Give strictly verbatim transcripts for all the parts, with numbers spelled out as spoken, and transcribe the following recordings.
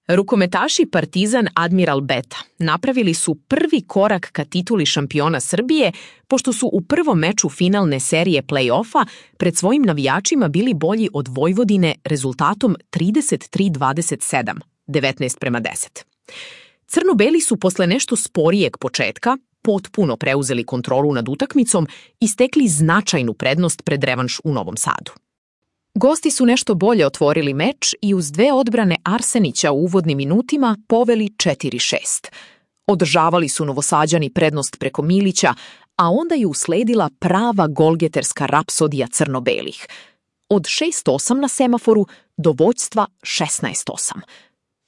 Rukometaši Partizan Admiral Beta napravili su prvi korak ka tituli šampiona Srbije, pošto su u prvom meču finalne serije play-offa pred svojim navijačima bili bolji od Vojvodine rezultatom trideset tri dvadeset sedam, devetnaest prema deset. Crno-beli su posle nešto sporijeg početka potpuno preuzeli kontrolu nad utakmicom i stekli značajnu prednost pred revanš u Novom Sadu. Gosti su nešto bolje otvorili meč i uz dve odbrane Arsenića u uvodnim minutima poveli četiri šest. Održavali su Novosađani prednost preko Milića, a onda je usledila prava golgeterska rapsodija crno-belih. Od šest osam na semaforu do vođstva šesnaest osam.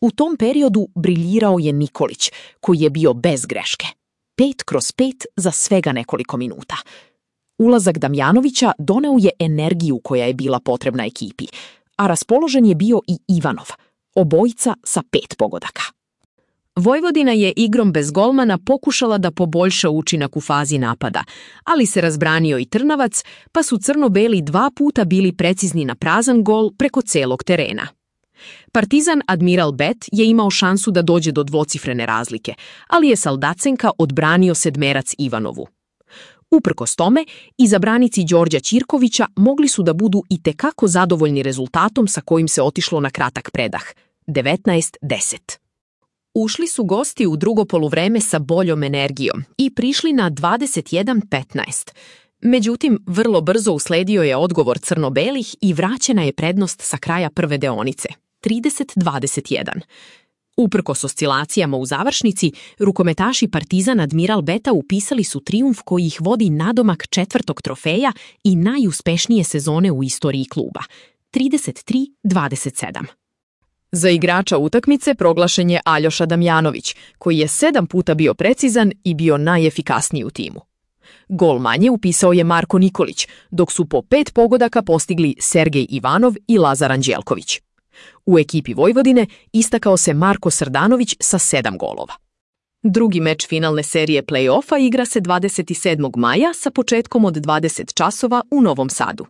U tom periodu briljirao je Nikolić, koji je bio bez greške. Pet kroz pet za svega nekoliko minuta. Ulazak Damjanovića doneo je energiju koja je bila potrebna ekipi, a raspoložen je bio i Ivanov, obojica sa pet pogodaka. Vojvodina je igrom bez golmana pokušala da poboljša učinak u fazi napada, ali se razbranio i Trnavac, pa su crno-beli dva puta bili precizni na prazan gol preko celog terena. Partizan Admiral Bet je imao šansu da dođe do dvocifrene razlike, ali je Saldacenka odbranio sedmerac Ivanovu. Uprkos tome, izabranici Đorđa Ćirkovića mogli su da budu i tekako zadovoljni rezultatom sa kojim se otišlo na kratak predah, devetnaest deset. Ušli su gosti u drugo poluvreme sa boljom energijom i prišli na dvadeset jedan petnaest. Međutim, vrlo brzo usledio je odgovor crno-belih i vraćena je prednost sa kraja prve deonice, trideset dvadeset jedan. Uprkos oscilacijama u završnici, rukometaši Partizan Admiral Beta upisali su trijumf koji ih vodi nadomak četvrtog trofeja i najuspešnije sezone u istoriji kluba, trideset tri dvadeset sedam. Za igrača utakmice proglašen je Aljoša Damjanović, koji je sedam puta bio precizan i bio najefikasniji u timu. Gol manje upisao je Marko Nikolić, dok su po pet pogodaka postigli Sergej Ivanov i Lazar Anđelković. U ekipi Vojvodine istakao se Marko Srdanović sa sedam golova. Drugi meč finalne serije play-offa igra se dvadeset sedmog maja sa početkom od dvadeset časova u Novom Sadu.